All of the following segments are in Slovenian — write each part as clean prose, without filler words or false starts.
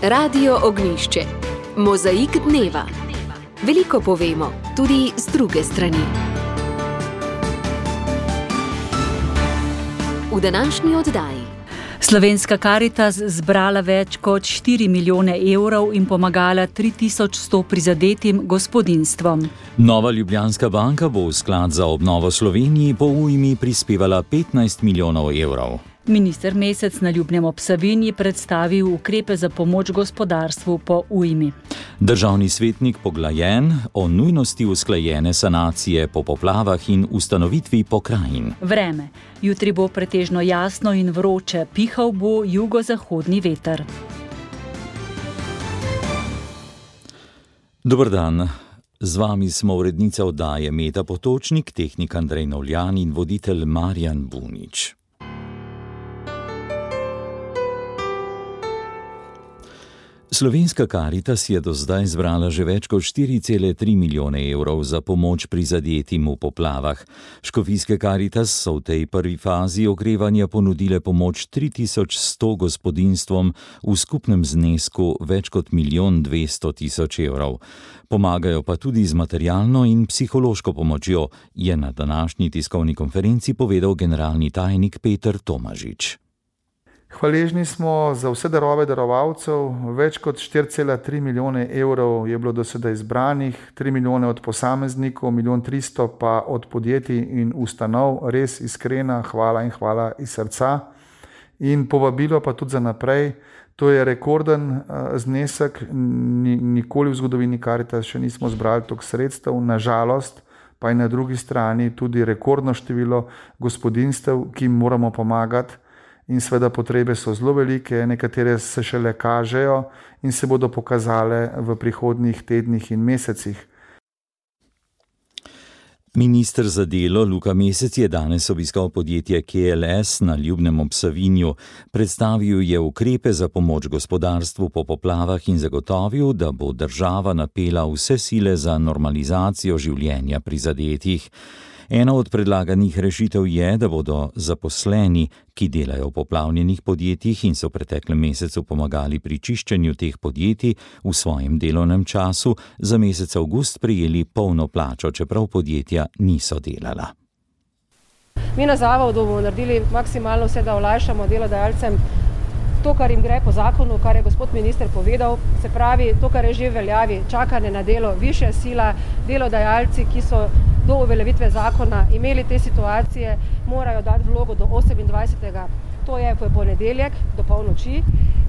Radio Ognjišče. Mozaik dneva. Veliko povemo, tudi z druge strani. V današnji oddaji. Slovenska Karitas zbrala več kot 4 milijone evrov in pomagala 3100 prizadetim gospodinjstvom. Nova Ljubljanska banka bo v sklad za obnovo Sloveniji po ujmi prispevala 15 milijonov evrov. Minister Mesec na Ljubnem ob Savinji predstavil ukrepe za pomoč gospodarstvu po ujmi. Državni svetnik Poglajen o nujnosti usklajene sanacije po poplavah in ustanovitvi pokrajin. Vreme. Jutri bo pretežno jasno in vroče, pihal bo jugozahodni veter. Dober dan. Z vami smo urednica oddaje Meta Potočnik, tehnik Andrej Novljan in voditelj Marjan Bunič. Slovenska Karitas je do zdaj zbrala že več kot 4,3 milijone evrov za pomoč prizadetim v poplavah. Škofijske Karitas so v tej prvi fazi okrevanja ponudile pomoč 3100 gospodinjstvom v skupnem znesku več kot 1 200 000 evrov. Pomagajo pa tudi z materialno in psihološko pomočjo, je na današnji tiskovni konferenci povedal generalni tajnik Peter Tomažič. Hvaležni smo za vse darove darovalcev, več kot 4,3 milijone evrov je bilo do sedaj izbranih, 3 milijone od posameznikov, 1 300 000 pa od podjetij in ustanov, res iskrena hvala in hvala iz srca. In povabilo pa tudi za naprej, to je rekorden znesek, nikoli v zgodovini Karitas še nismo zbrali toliko sredstev, nažalost pa je na drugi strani tudi rekordno število gospodinjstev, ki jim moramo pomagati. In seveda potrebe so zelo velike, nekatere se šele kažejo in se bodo pokazale v prihodnjih tednih in mesecih. Minister za delo Luka Mesec je danes obiskal podjetje KLS na Ljubnem ob Savinju. Predstavil je ukrepe za pomoč gospodarstvu po poplavah in zagotovil, da bo država napela vse sile za normalizacijo življenja prizadetih. Ena od predlaganih rešitev je, da bodo zaposleni, ki delajo v poplavljenih podjetjih in so v preteklem mesecu pomagali pri čiščenju teh podjetij v svojem delovnem času, za mesec avgust prejeli polno plačo, čeprav podjetja niso delala. Mi na zavodu bomo naredili maksimalno vse, da olajšamo delodajalcem to, kar jim gre po zakonu, kar je gospod minister povedal, se pravi to, kar je že v veljavi, čakanje na delo, višja sila, delodajalci, ki so do uveljavitve zakona imeli te situacije, morajo dati vlogo do 28. To je ponedeljek do polnoči.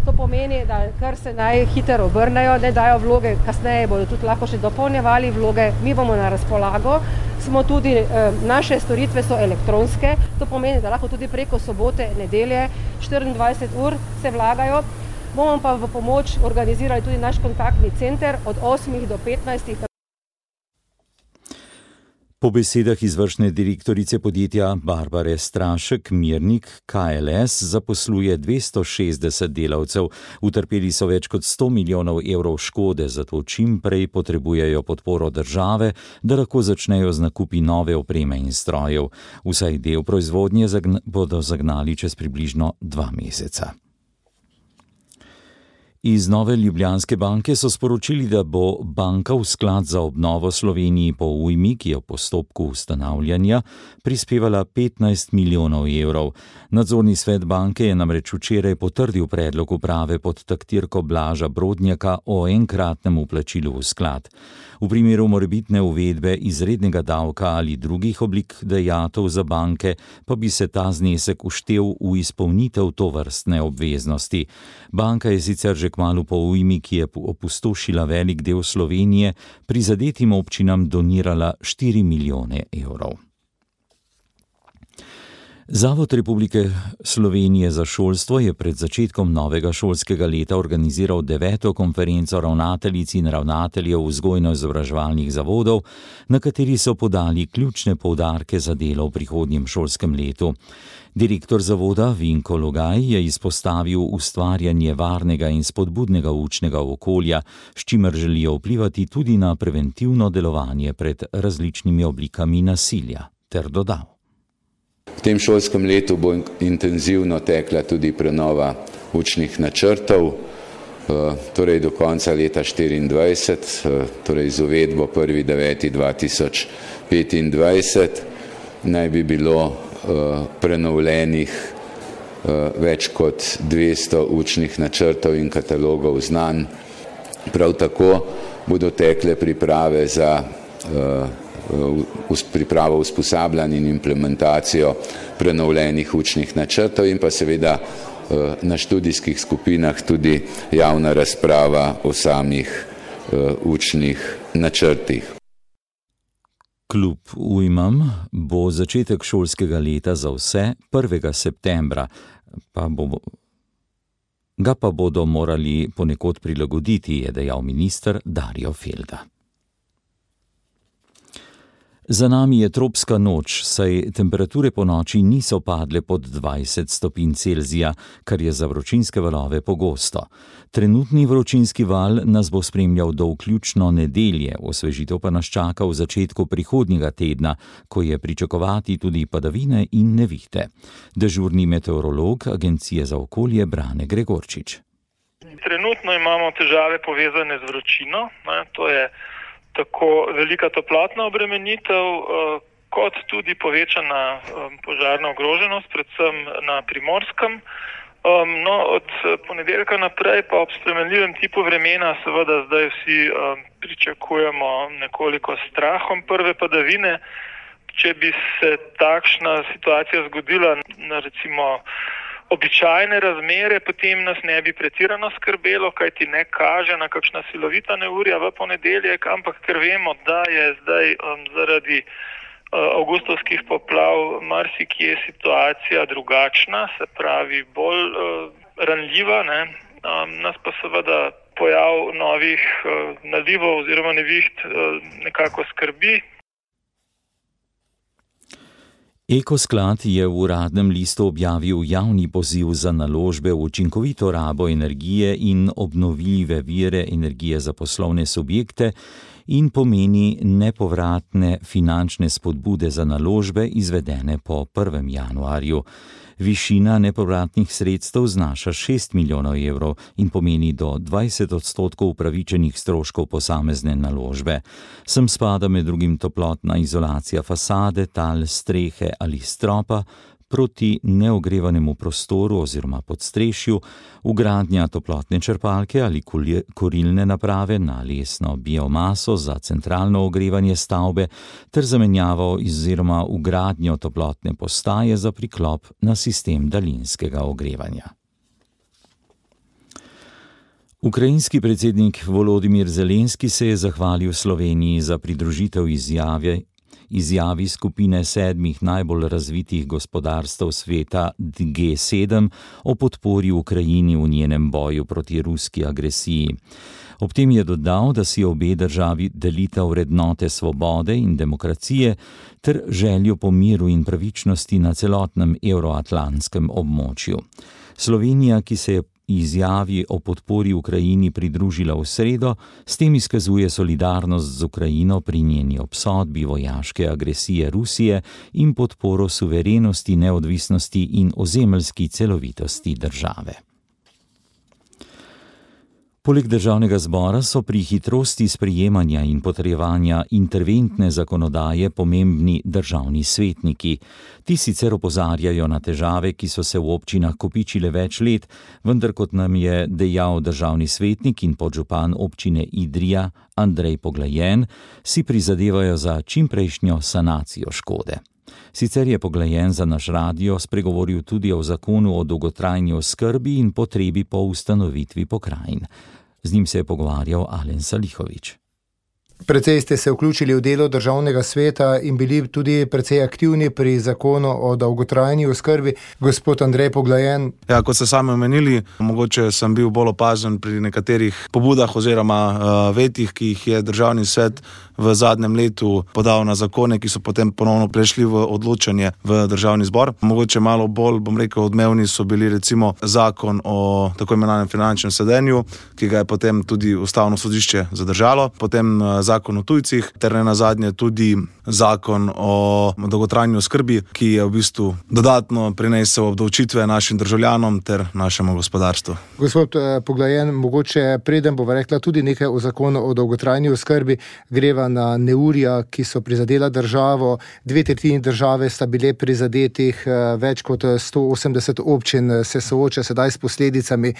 To pomeni, da kar se najhitro obrnejo, ne dajo vloge, kasneje bodo tudi lahko še dopolnjevali vloge, mi bomo na razpolago. Smo tudi, naše storitve so elektronske, to pomeni, da lahko tudi preko sobote, nedelje, 24 ur se vlagajo. Bomo pa v pomoč organizirali tudi naš kontaktni center od 8 do 15. Po besedah izvršne direktorice podjetja Barbare Strašek, Mirnik KLS zaposluje 260 delavcev. Utrpeli so več kot 100 milijonov evrov škode, zato čim prej potrebujejo podporo države, da lahko začnejo z nakupi nove opreme in strojev. Vsaj del proizvodnje bodo zagnali čez približno 2 meseca. Iz Nove Ljubljanske banke so sporočili, da bo banka v sklad za obnovo Sloveniji po ujmi, ki je v postopku ustanavljanja, prispevala 15 milijonov evrov. Nadzorni svet banke je namreč včeraj potrdil predlog uprave pod taktirko Blaža Brodnjaka o enkratnem vplačilu v sklad. V primeru morebitne uvedbe izrednega davka ali drugih oblik dajatev za banke, pa bi se ta znesek vštel v izpolnitev tovrstne obveznosti. Banka je sicer že kmalu po ujmi, ki je opustošila velik del Slovenije, prizadetim občinam donirala 4 milijone evrov. Zavod Republike Slovenije za šolstvo je pred začetkom novega šolskega leta organiziral 9. konferenco ravnateljic in ravnateljev vzgojno-izobraževalnih zavodov, na kateri so podali ključne poudarke za delo v prihodnjem šolskem letu. Direktor zavoda Vinko Logaj je izpostavil ustvarjanje varnega in spodbudnega učnega okolja, s čimer želijo vplivati tudi na preventivno delovanje pred različnimi oblikami nasilja, ter dodal. V tem šolskem letu bo intenzivno tekla tudi prenova učnih načrtov. torej do konca leta 2024, torej z uvedbo 1.9.2025, naj bi bilo prenovljenih več kot 200 učnih načrtov in katalogov znanj. Prav tako bodo tekle priprave za pripravo usposabljanj in implementacijo prenovljenih učnih načrtov in pa seveda na študijskih skupinah tudi javna razprava o samih učnih načrtih. Klub Ujmam bo začetek šolskega leta za vse 1. septembra, ga pa bodo morali ponekod prilagoditi, je dejal minister Darjo Felda. Za nami je tropska noč, saj temperature po noči niso padle pod 20 stopinj Celzija, kar je za vročinske valove pogosto. Trenutni vročinski val nas bo spremljal do vključno nedelje, osvežitev pa nas čaka v začetku prihodnjega tedna, ko je pričakovati tudi padavine in nevihte. Dežurni meteorolog Agencije za okolje Brane Gregorčič. Trenutno imamo težave povezane z vročino, to je tako velika toplotna obremenitev, kot tudi povečana požarna ogroženost, predvsem na Primorskem. Od ponedeljka naprej pa ob spremenljivem tipu vremena seveda zdaj vsi pričakujemo nekoliko strahom prve padavine. Če bi se takšna situacija zgodila na recimo običajne razmere, potem nas ne bi pretirano skrbelo, kajti ne kaže na kakšna silovita neurja v ponedeljek, ampak ker vemo, da je zdaj zaradi avgustovskih poplav marsikje situacija drugačna, se pravi bolj ranljiva, nas pa seveda pojav novih nalivov oziroma neviht nekako skrbi. Ekosklad je v Uradnem listu objavil javni poziv za naložbe v učinkovito rabo energije in obnovljive vire energije za poslovne subjekte in pomeni nepovratne finančne spodbude za naložbe izvedene po 1. januarju. Višina nepovratnih sredstev znaša 6 milijonov evrov in pomeni do 20% upravičenih stroškov posamezne naložbe. Sem spada med drugim toplotna izolacija fasade, tal, strehe ali stropa proti neogrevanemu prostoru oziroma podstrešju, vgradnja toplotne črpalke ali kurilne naprave na lesno biomaso za centralno ogrevanje stavbe ter zamenjavo oziroma vgradnjo toplotne postaje za priklop na sistem daljinskega ogrevanja. Ukrajinski predsednik Volodimir Zelenski se je zahvalil Sloveniji za pridružitev izjavi skupine 7 najbolj razvitih gospodarstev sveta G7 o podpori Ukrajini v njenem boju proti ruski agresiji. Ob tem je dodal, da si obe državi delita vrednote svobode in demokracije ter željo po miru in pravičnosti na celotnem evroatlantskem območju. Slovenija, ki se je izjavi o podpori Ukrajini pridružila v sredo, s tem izkazuje solidarnost z Ukrajino pri njeni obsodbi vojaške agresije Rusije in podporo suverenosti, neodvisnosti in ozemeljski celovitosti države. Poleg državnega zbora so pri hitrosti sprejemanja in potrjevanja interventne zakonodaje pomembni državni svetniki. Ti sicer opozarjajo na težave, ki so se v občinah kopičile več let, vendar kot nam je dejal državni svetnik in podžupan občine Idrija Andrej Poglajen, si prizadevajo za čimprejšnjo sanacijo škode. Sicer je Poglajen za naš radio spregovoril tudi o zakonu o dolgotrajni oskrbi in potrebi po ustanovitvi pokrajin. Z njim se je pogovarjal Alen Salihović. Precej ste se vključili v delo državnega sveta in bili tudi precej aktivni pri zakonu o dolgotrajni oskrbi. Gospod Andrej Poglajen. Ja, kot ste sami omenili, mogoče sem bil bolj opazen pri nekaterih pobudah oziroma vetih, ki jih je državni svet v zadnjem letu podal na zakone, ki so potem ponovno prešli v odločanje v državni zbor. Mogoče malo bolj, odmevni so bili recimo zakon o tako imenovanem finančnem sedenju, ki ga je potem tudi ustavno sodišče zadržalo. Potem zakon o tujcih, ter ne nazadnje tudi zakon o dolgotrajni oskrbi, ki je v bistvu dodatno prinesel obdavčitve našim državljanom ter našemu gospodarstvu. Gospod Poglajen, mogoče preden bova rekla tudi nekaj o zakonu o dolgotrajni oskrbi, greva na neurja, ki so prizadela državo. 2/3 države sta bile prizadetih, več kot 180 občin se sooča sedaj s posledicami.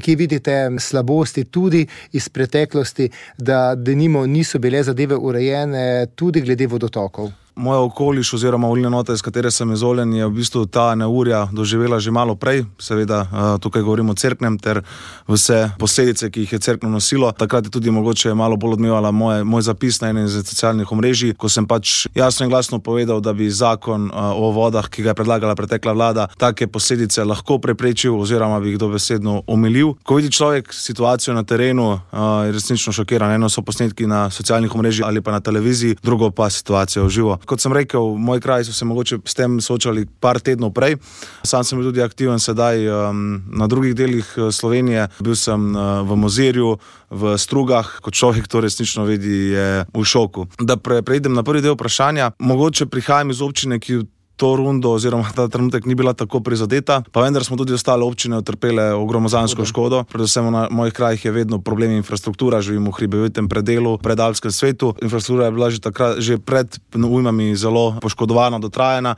Ki vidite slabosti tudi iz preteklosti, da denimo niso bile zadeve urejene tudi glede vodotokov? Moja okoliš oziroma volilna enota, iz katere sem izvoljen, je v bistvu ta neurja doživela že malo prej. Seveda tukaj govorimo o Cerknem ter vse posledice, ki jih je Cerkno nosilo. Takrat je tudi mogoče malo bolj odmevala moj zapis na enem iz socialnih omrežij, ko sem pač jasno in glasno povedal, da bi zakon o vodah, ki ga je predlagala pretekla vlada, take posledice lahko preprečil oziroma bi jih dobesedno omilil. Ko vidi človek situacijo na terenu, je resnično šokiran. Eno so posnetki na socialnih omrežjih ali pa na televiziji, drugo pa situacija v živo. Kot sem rekel, v moj kraj so se mogoče s tem soočali par tednov prej. Sam sem bil tudi aktiven sedaj na drugih delih Slovenije. Bil sem v Mozirju, v Strugah, kot človek to resnično vidi, je v šoku. Da preidem na prvi del vprašanja, mogoče prihajam iz občine, ki to rundo oziroma ta trenutek ni bila tako prizadeta, pa vendar smo tudi ostale občine utrpele gromozansko škodo. Predvsem na mojih krajih je vedno problem infrastruktura, živim v hribovitem predelu, predalpskem svetu. Infrastruktura je bila že pred ujmami zelo poškodovana, dotrajana.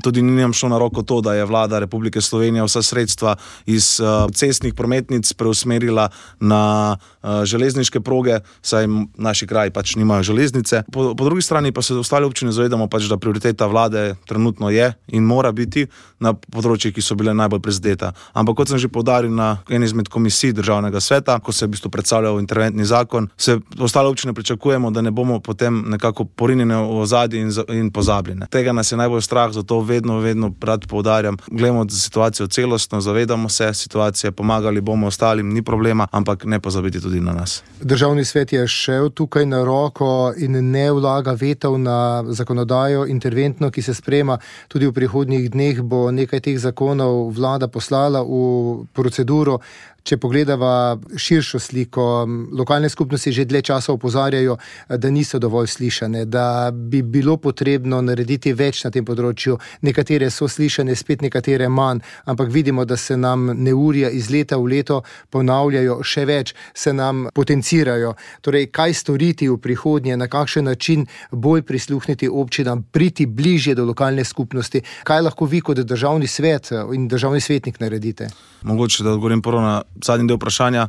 Tudi ni nam šlo na roko to, da je vlada Republike Slovenije vsa sredstva iz cestnih prometnic preusmerila na železniške proge, saj naši kraji pač nimajo železnice. Po drugi strani pa se ostale občine zavedamo pač, da prioriteta vlade trenutno je in mora biti na področjih, ki so bile najbolj prizadeta. Ampak kot sem že poudaril na eni izmed komisij Državnega sveta, ko se je v bistvu predstavljal interventni zakon, se ostale občine pričakujemo, da ne bomo potem nekako porinjene v ozadje in pozabljene. Tega nas je najbolj strah, zato vedno rad poudarjam, gledamo situacijo celostno, zavedamo se situacije, pomagali bomo ostalim, ni problema, ampak ne pozabiti tudi na nas. Državni svet je šel tukaj na roko in ne vlaga vetov na zakonodajo interventno, ki se sprejema. Tudi v prihodnjih dneh bo nekaj teh zakonov vlada poslala v proceduro. Če pogledava širšo sliko, lokalne skupnosti že dlje časa opozarjajo, da niso dovolj slišane, da bi bilo potrebno narediti več na tem področju. Nekatere so slišane, spet nekatere manj, ampak vidimo, da se nam neurja iz leta v leto ponavljajo, še več se nam potencirajo. Torej, kaj storiti v prihodnje, na kakšen način bolj prisluhniti občinam, priti bližje do lokalne skupnosti? Kaj lahko vi kot državni svet in državni svetnik naredite? Mogoče, da odgovorim prvo na zadnji del vprašanja.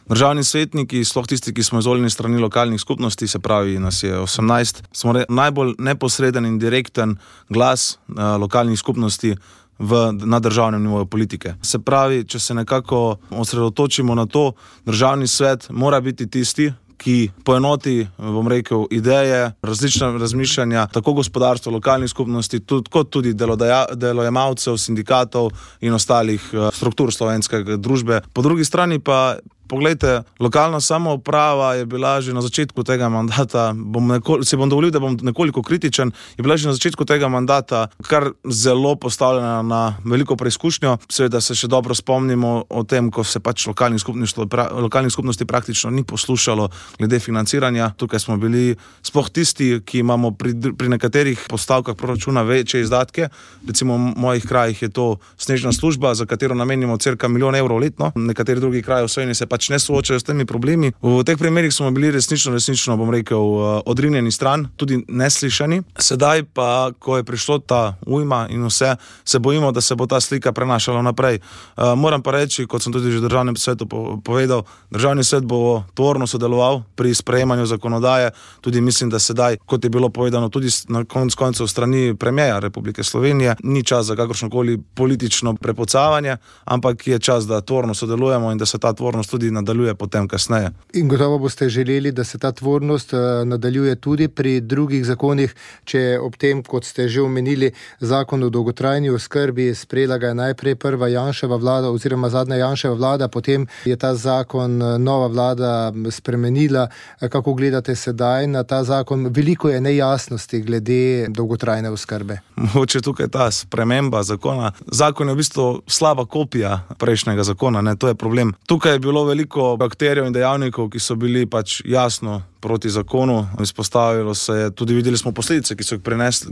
Državni svetniki, sploh tisti, ki smo izvoljeni strani lokalnih skupnosti, se pravi, nas je 18, smo najbolj neposreden in direkten glas lokalnih skupnosti na državnem nivoju politike. Se pravi, če se nekako osredotočimo na to, državni svet mora biti tisti, ki poenoti, bom rekel, ideje, različna razmišljanja, tako gospodarstva, lokalnih skupnosti, kot tudi delojemalcev, sindikatov in ostalih struktur slovenske družbe. Po drugi strani pa poglejte, lokalna samouprava je bila že na začetku tega mandata, si bom dovolil, da bom nekoliko kritičen, je bila že na začetku tega mandata kar zelo postavljena na veliko preizkušnjo. Seveda se še dobro spomnimo o tem, ko se pač lokalnih skupnosti praktično ni poslušalo glede financiranja. Tukaj smo bili sploh tisti, ki imamo pri nekaterih postavkah proračuna večje izdatke. Recimo v mojih krajih je to snežna služba, za katero namenimo cirka 1 milijon evrov letno. Nekateri drugi kraji v Sloveniji se pač ne soočajo s temi problemi. V teh primerih smo bili resnično, bom rekel, odrinjeni stran, tudi neslišani. Sedaj pa, ko je prišlo ta ujma in vse, se bojimo, da se bo ta slika prenašala naprej. Moram pa reči, kot sem tudi že v državnem svetu povedal, državni svet bo tvorno sodeloval pri sprejemanju zakonodaje. Tudi mislim, da sedaj, kot je bilo povedano tudi na koncu strani premierja Republike Slovenije, ni čas za kakršnokoli politično prepocavanje, ampak je čas, da tvorno sodelujemo in da se ta tvornost tudi nadaljuje potem kasneje. In gotovo boste želeli, da se ta tvornost nadaljuje tudi pri drugih zakonih, če ob tem, kot ste že omenili, zakon o dolgotrajni oskrbi, sprejela ga je najprej prva Janševa vlada oziroma zadnja Janševa vlada, potem je ta zakon nova vlada spremenila. Kako gledate sedaj na ta zakon? Veliko je nejasnosti glede dolgotrajne oskrbe. Mogoče tukaj ta sprememba zakona. Zakon je v bistvu slaba kopija prejšnjega zakona, to je problem. Tukaj je bilo veliko akterjev in dejavnikov, ki so bili pač jasno proti zakonu. Izpostavilo se je, tudi videli smo posledice,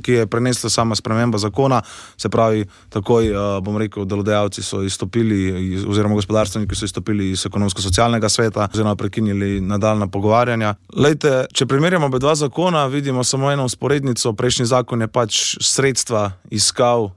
ki je prenesla sama sprememba zakona, se pravi, takoj, bom rekel, delodajalci so izstopili, oziroma gospodarstveniki so izstopili iz ekonomsko-socialnega sveta, oziroma prekinili nadaljnja pogovarjanja. Lejte, če primerjamo oba dva zakona, vidimo samo eno vzporednico. Prejšnji zakon je pač sredstva iskal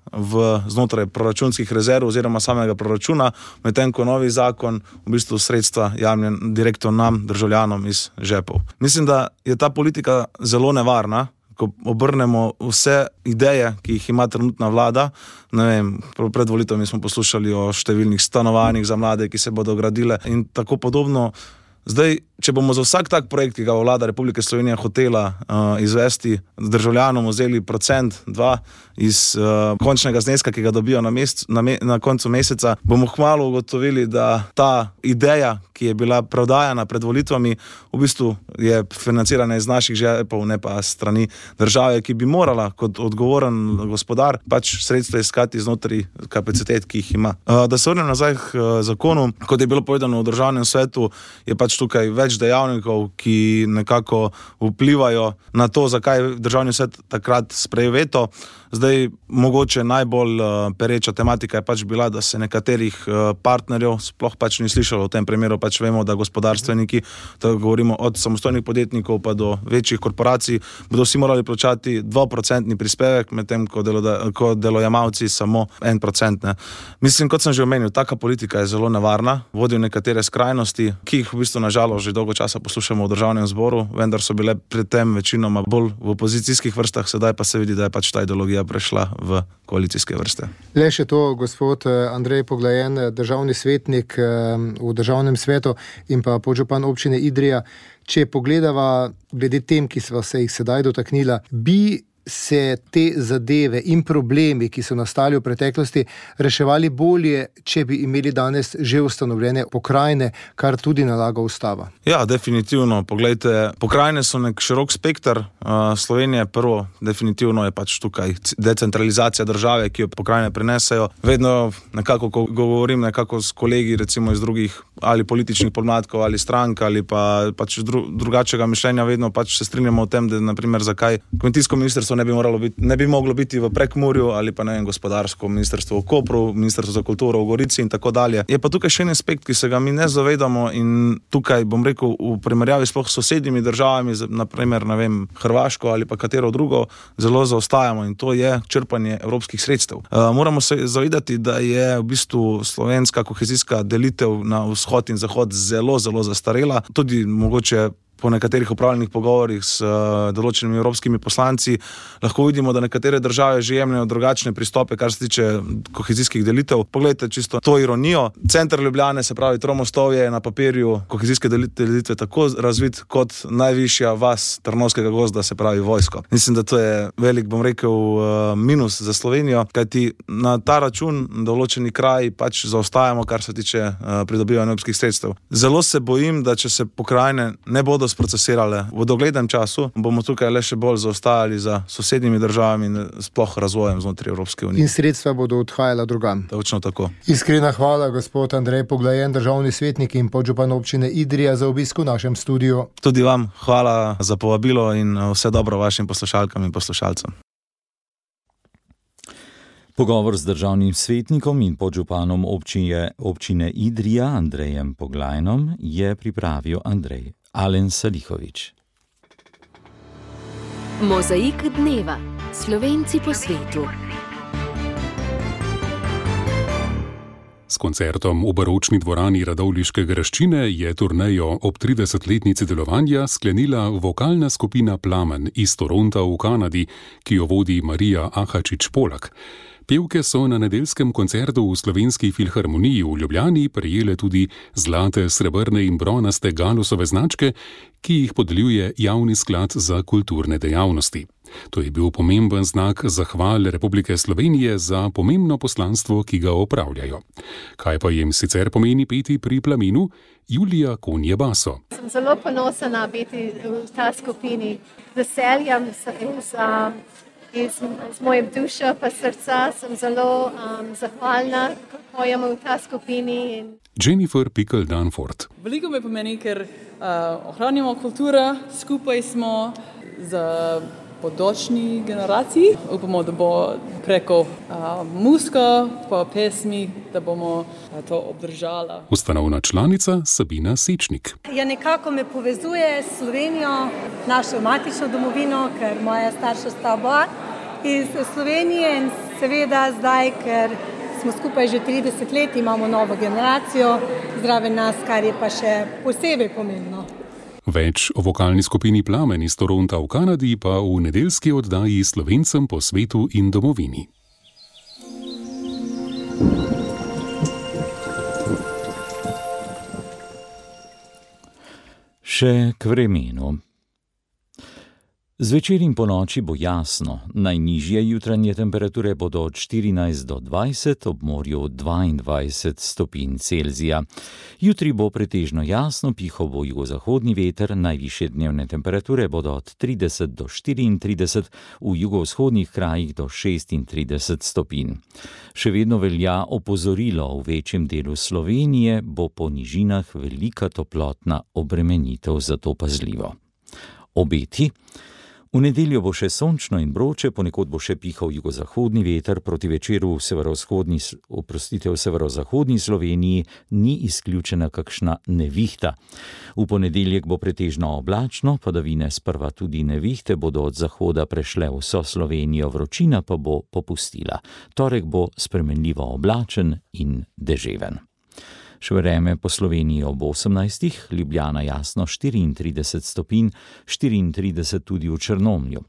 znotraj proračunskih rezerv oziroma samega proračuna, medtem ko novi zakon v bistvu sredstva jemlje direktno nam, državljanom iz žepov. Mislim, da je ta politika zelo nevarna, ko obrnemo vse ideje, ki jih ima trenutna vlada. Ne vem, pred volitvami smo poslušali o številnih stanovanjih za mlade, ki se bodo gradile in tako podobno. Zdaj, če bomo za vsak tak projekt, ki ga vlada Republike Slovenije hotela izvesti, državljanom vzeli 1-2% iz končnega zneska, ki ga dobijo na koncu meseca, bomo kmalu ugotovili, da ta ideja, ki je bila prodajana pred volitvami, v bistvu je financirana iz naših žepov, ne pa strani države, ki bi morala kot odgovoren gospodar pač sredstva iskati znotraj kapacitet, ki jih ima. Da se vrnem nazaj k zakonu, kot je bilo povedano v državnem svetu, je pač tukaj več dejavnikov, ki nekako vplivajo na to, zakaj državni svet takrat sprejel veto. Zdaj, mogoče najbolj pereča tematika je pač bila, da se nekaterih partnerjev sploh pač ni slišalo. V tem primeru pač vemo, da gospodarstveniki, da govorimo od samostojnih podjetnikov pa do večjih korporacij, bodo vsi morali plačati 2% prispevek, medtem ko delojemalci samo 1%. Ne. Mislim, kot sem že omenil, taka politika je zelo nevarna, vodi v nekatere skrajnosti, ki jih v bistvu nažalost že dolgo časa poslušamo v državnem zboru, vendar so bile pred tem večinoma bolj v opozicijskih vrstah, sedaj pa se vidi, da je pač ta ideologija prešla v koalicijske vrste. Le še to, gospod Andrej Poglajen, državni svetnik v državnem svetu in pa podžupan občine Idrija. Če pogledava glede tem, ki sva se jih sedaj dotaknila, bi se te zadeve in problemi, ki so nastali v preteklosti, reševali bolje, če bi imeli danes že ustanovljene pokrajine, kar tudi nalaga ustava? Ja, definitivno. Poglejte, pokrajine so nek širok spekter. Slovenije prvo, definitivno je pač tukaj decentralizacija države, ki jo pokrajine prinesejo. Vedno nekako, ko govorim nekako s kolegi, recimo iz drugih ali političnih podmladkov ali strank ali pa pač drugačnega mišljenja, vedno pač se strinjamo o tem, da naprimer zakaj kmetijsko ministrstvo ne bi moglo biti v Prekmurju ali pa ne vem, gospodarsko ministrstvo v Kopru, ministrstvo za kulturo v Gorici in tako dalje. Je pa tukaj še en aspekt, ki se ga mi ne zavedamo in tukaj bom rekel v primerjavi sploh s sosednjimi državami, naprimer, ne vem, Hrvaško ali pa katero drugo, zelo zaostajamo in to je črpanje evropskih sredstev. Moramo se zavedati, da je v bistvu slovenska kohezijska delitev na vzhod in zahod zelo, zelo zastarela. Tudi mogoče po nekaterih upravljenih pogovorih s določenimi evropskimi poslanci lahko vidimo, da nekatere države že jemljajo drugačne pristope, kar se tiče kohezijskih delitev. Poglejte čisto to ironijo. Center Ljubljane, se pravi Tromostovje, je na papirju kohezijske delitve tako razvit kot najvišja vas Trnovskega gozda, se pravi vojsko. Mislim, da to je velik, bom rekel, minus za Slovenijo, kajti na ta račun določeni kraji pač zaostajamo, kar se tiče pridobivanja evropskih sredstev. Zelo se bojim, da če se pokrajine ne bodo sprocesirale v doglednem času, bomo tukaj le še bolj zaostajali za sosednjimi državami in sploh razvojem znotraj Evropske unije. In sredstva bodo odhajala drugam. Točno tako. Iskrena hvala, gospod Andrej Poglajen, državni svetnik in podžupan občine Idrija, za obisk v našem studiu. Tudi vam hvala za povabilo in vse dobro vašim poslušalkam in poslušalcem. Pogovor z državnim svetnikom in podžupanom občine Idrija Andrejem Poglajnom je pripravil Andrej Alen Salihovič. Mozaik dneva. Slovenci po svetu. S koncertom v baročni dvorani Radovljiške graščine je turnejo ob 30-letnici delovanja sklenila vokalna skupina Plamen iz Toronta v Kanadi, ki jo vodi Marija Ahačič-Polak. Pevke so na nedeljskem koncertu v Slovenski filharmoniji v Ljubljani prejele tudi zlate, srebrne in bronaste galusove značke, ki jih podeljuje Javni sklad za kulturne dejavnosti. To je bil pomemben znak zahvale Republike Slovenije za pomembno poslanstvo, ki ga opravljajo. Kaj pa jim sicer pomeni peti pri Plamenu? Julija Konje-Baso. Sem zelo ponosna biti v ta skupini. Veseljem Iz moje duše pa srca sem zelo zahvalna, ko pojemo v ta skupini. Jennifer Pickle-Danford. Veliko mi pomeni, ker ohranjamo kulturo, skupaj smo za bodočni generaciji. Upamo, da bo preko muzika pa pesmi, da bomo to obdržala. Ustanovna članica Sabina Sečnik. Ja, nekako me povezuje s Slovenijo, našo matično domovino, ker moja starša sta oba iz Slovenije in seveda zdaj, ker smo skupaj že 30 let, imamo novo generacijo zraven nas, kar je pa še posebej pomembno. Več o vokalni skupini Plamen iz Toronta v Kanadi pa v nedeljski oddaji Slovencem po svetu in domovini. Še k vremenu. Zvečer in ponoči bo jasno, najnižje jutranje temperature bodo od 14 do 20, ob morju 22 stopinj Celzija. Jutri bo pretežno jasno, pihal bo jugozahodni veter, najvišje dnevne temperature bodo od 30 do 34, v jugovzhodnih krajih do 36 stopinj. Še vedno velja opozorilo, v večjem delu Slovenije bo po nižinah velika toplotna obremenitev, zato pazljivo. Obeti. V nedeljo bo še sončno in vroče, ponekod bo še pihal jugozahodni veter, proti večeru v severozahodni Sloveniji ni izključena kakšna nevihta. V ponedeljek bo pretežno oblačno, padavine sprva tudi nevihte bodo od zahoda prešle vso Slovenijo, vročina pa bo popustila. Torek bo spremenljivo oblačen in deževen. Še vreme po Sloveniji ob 18, Ljubljana jasno 34 stopinj, 34 tudi v Črnomlju.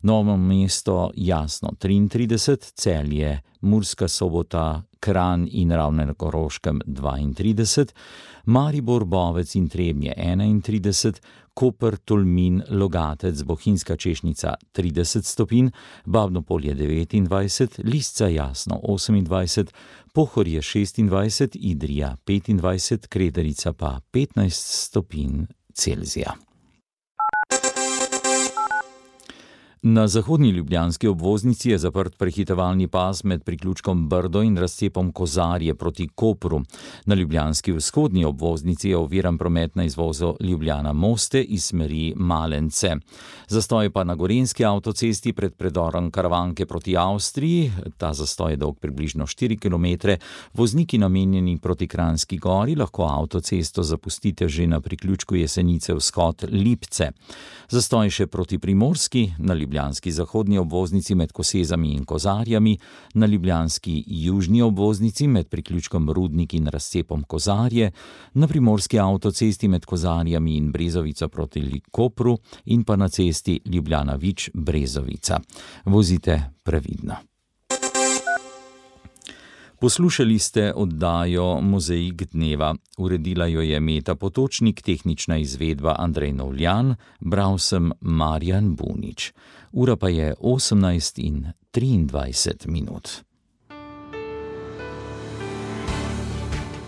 Novo mesto jasno 33, Celje, Murska Sobota, Kranj in Ravne na Koroškem 32, Maribor, Bovec in Trebnje 31, Koper, Tolmin, Logatec, Bohinjska Češnica 30 stopinj, Babno Polje 29, Lisca jasno 28, Pohorje 26, Idrija 25, Kredarica pa 15 stopinj Celzija. Na zahodni ljubljanski obvoznici je zaprt prehitevalni pas med priključkom Brdo in razcepom Kozarje proti Kopru. Na ljubljanski vzhodni obvoznici je oviran promet na izvozu Ljubljana-Moste iz smeri Malence. Zastoj pa na Gorenjski avtocesti pred predorom Karavanke proti Avstriji, ta zastoj je dolg približno 4 km. Vozniki namenjeni proti Kranjski Gori lahko avtocesto zapustite že na priključku Jesenice vzhod Lipce. Zastoj še proti Primorski, na ljubljanski zahodni obvoznici med Kosezami in Kozarjami, na ljubljanski južni obvoznici med priključkom Rudnik in razcepom Kozarje, na primorski avtocesti med Kozarjami in Brezovico proti Kopru in pa na cesti Ljubljana-Vič-Brezovica. Vozite previdno. Poslušali ste oddajo Mozaik dneva. Uredila jo je Meta Potočnik, tehnična izvedba Andrej Novljan, bral sem Marjan Bunič. Ura pa je 18:23.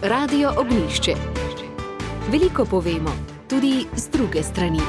Radio Ognjišče. Veliko povemo, tudi z druge strani.